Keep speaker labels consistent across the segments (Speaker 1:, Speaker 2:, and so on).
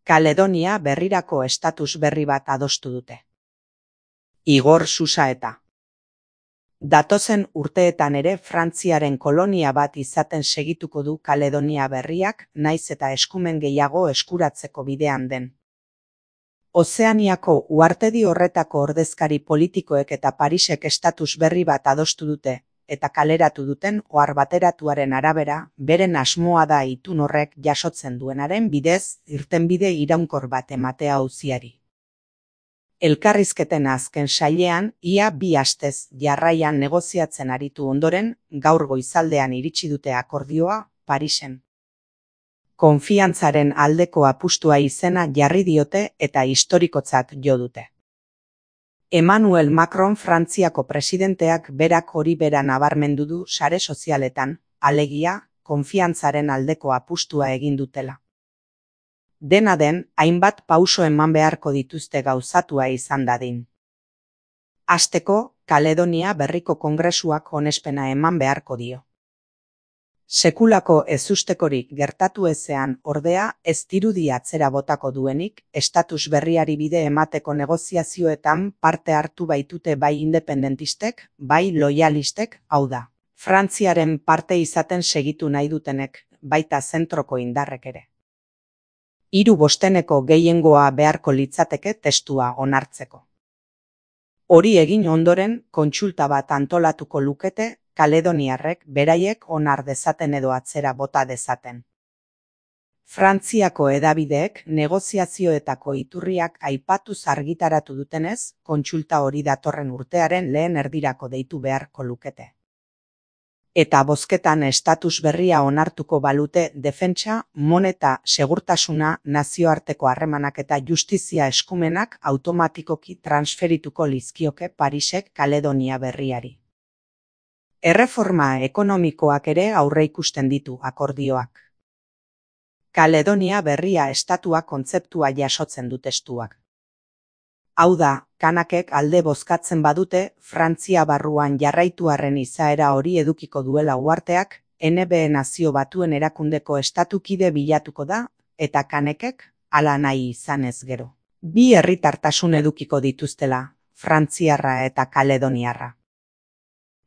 Speaker 1: Kaledonia berrirako estatus berri bat adostu dute. Igor Susaeta. Datozen urteetan ere Frantziaren kolonia bat izaten segituko du Kaledonia berriak, naiz eta eskumen gehiago eskuratzeko bidean den. Ozeaniako uhartedi horretako ordezkari politikoek eta Parisek estatus berri bat adostu dute, eta kaleratu duten ohar bateratuaren arabera, beren asmoa da itun horrek jasotzen duenaren bidez irtenbide iraunkor bat ematea auziari. Elkarrizketen azken sailean, ia 2 astez jarraian negoziatzen aritu ondoren, gaur goizaldean iritsi dute akordioa Parisen. Konfiantzaren aldeko apustua izena jarri diote eta historikotzat jo dute. Emmanuel Macron Frantziako presidenteak berak hori bera nabarmendu du sare sozialetan, alegia, konfiantzaren aldeko apustua egin dutela. Dena den, hainbat pauso eman beharko dituzte gauzatua izan dadin. Hasteko, Kaledonia berriko kongresuak onespena eman beharko dio. Sekulako ezustekorik gertatu ezean ordea ez dirudi atzera botako duenik, estatus berriari bide emateko negoziazioetan parte hartu baitute bai independentistek, bai loyalistek, hau da. Frantziaren parte izaten segitu nahi dutenek, baita zentroko indarrek ere. 3/5 gehiengoa beharko litzateke testua onartzeko. Hori egin ondoren, kontsulta bat antolatuko lukete, kaledoniarrek beraiek onar dezaten edo atzera bota dezaten. Frantziako hedabideek negoziazioetako iturriak aipatuz argitaratu dutenez, kontsulta hori datorren urtearen lehen erdirako deitu beharko lukete. Eta bozketan estatus berria onartuko balute defentsa, moneta, segurtasuna, nazioarteko harremanak eta justizia eskumenak automatikoki transferituko lizkioke Parisek Kaledonia berriari. Erreforma ekonomikoak ere aurreikusten ditu akordioak. Kaledonia berria estatua kontzeptua jasotzen du testuak. Hau da, kanakek alde bozkatzen badute, Frantzia barruan jarraituarren izaera hori edukiko duela uharteak, NB Nazio Batuen erakundeko estatukide bilatuko da, eta kanekek hala nahi izanez gero. 2 herritartasun edukiko dituztela, frantziarra eta kaledoniarra.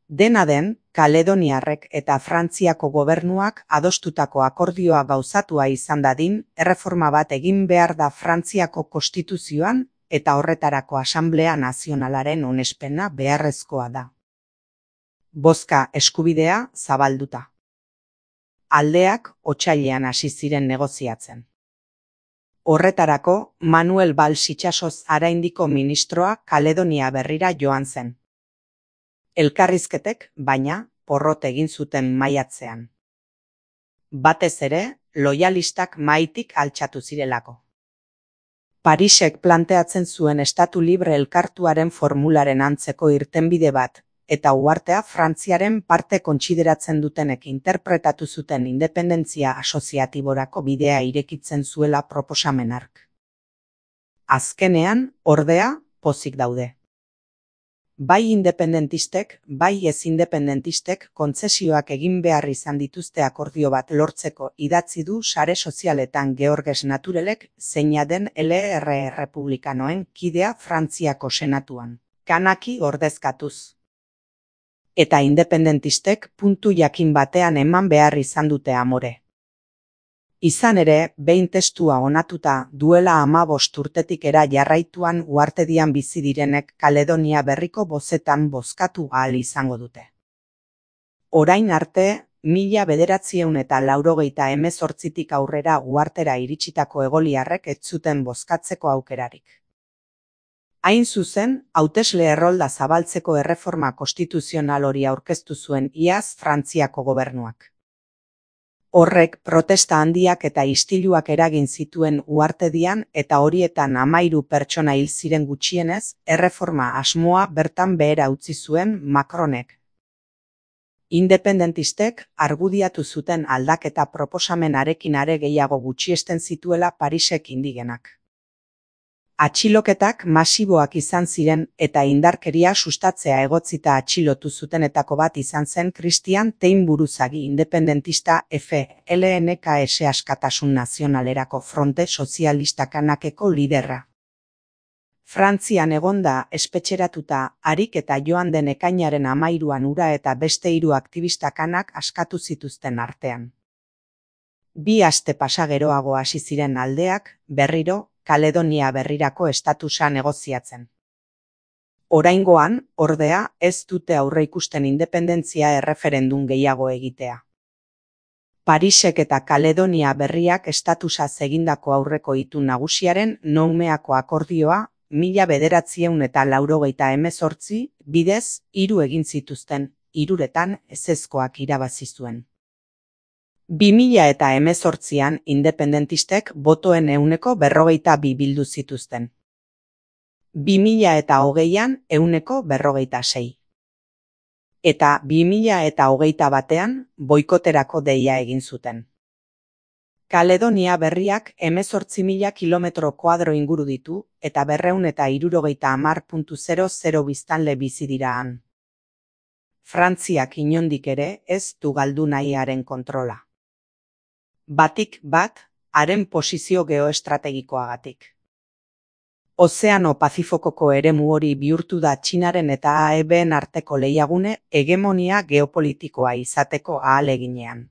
Speaker 1: Dena den, kaledoniarrek eta Frantziako gobernuak adostutako akordioa gauzatua izan dadin, erreforma bat egin behar da Frantziako konstituzioan, eta horretarako Asanblea Nazionalaren onespena beharrezkoa da. Bozka eskubidea zabalduta. Aldeak otsailean hasi ziren negoziatzen. Horretarako, Manuel Valls Itxasoz Araindiko ministroa Kaledonia berrira joan zen. Elkarrizketek, baina, porrot egin zuten maiatzean. Batez ere, loyalistak mahaitik altxatu zirelako. Parisek planteatzen zuen estatu libre elkartuaren formularen antzeko irtenbide bat, eta uhartea Frantziaren parte kontsideratzen dutenek interpretatu zuten independentzia asoziatiborako bidea irekitzen zuela proposamen hark. Azkenean, ordea, pozik daude. Bai independentistek, bai ez independentistek kontzesioak egin behar izan dituzte akordio bat lortzeko idatzi du sare sozialetan Georges Naturelek, zeina den LR Republikanoen kidea Frantziako senatuan, kanaki ordezkatuz. Eta independentistek puntu jakin batean eman behar izan dute amore. Izan ere, behin testua onatuta duela 15 urtetik era jarraituan uhartedian bizi direnek Kaledonia berriko bozetan bozkatu ahal izango dute. Orain arte, 1998tik aurrera uhartera iritsitako egoliarrek ez zuten bozkatzeko aukerarik. Hain zuzen, hautesle errolda zabaltzeko erreforma konstituzional hori aurkeztu zuen iaz Frantziako gobernuak. Horrek protesta handiak eta istiluak eragin zituen uhartedian eta horietan 13 pertsona hil ziren gutxienez, erreforma asmoa bertan behera utzi zuen Macronek. Independentistek argudiatu zuten aldaketa proposamenarekin are gehiago gutxiesten zituela Parisek indigenak. Atxiloketak masiboak izan ziren eta indarkeria sustatzea egotzita atxilotu zutenetako bat izan zen Christian Tein buruzagi independentista FLNKS Askatasun Nazionalerako Fronte Sozialista Kanakeko liderra. Frantzian egonda espetxeratuta harik eta joan den ekainaren 13an hura eta beste 3 aktivista kanak askatu zituzten artean. 2 aste pasa geroago hasi ziren aldeak berriro Kaledonia Berrirako estatusa negoziatzen. Oraingoan, ordea, ez dute aurreikusten independentzia erreferendum gehiago egitea. Parisek eta Kaledonia Berriak estatusaz egindako aurreko itun nagusiaren Noumeako akordioa 1988 bidez 3 egin zituzten, 3etan ezezkoak irabazi zuen. 2018an independentistek botoen 42% bildu zituzten. 2020an 46%. Eta 2021an boikoterako deia egin zuten. Kaledonia Berriak 18.000 kilometro kuadro inguru ditu eta 230.000 biztanle bizi dira han. Frantziak inondik ere ez du galdu nahi haren kontrola. Batik bat, haren posizio geoestrategikoagatik. Ozeano Pazifikoko eremu hori bihurtu da Txinaren eta AEBen arteko lehiagune hegemonia geopolitikoa izateko ahaleginean.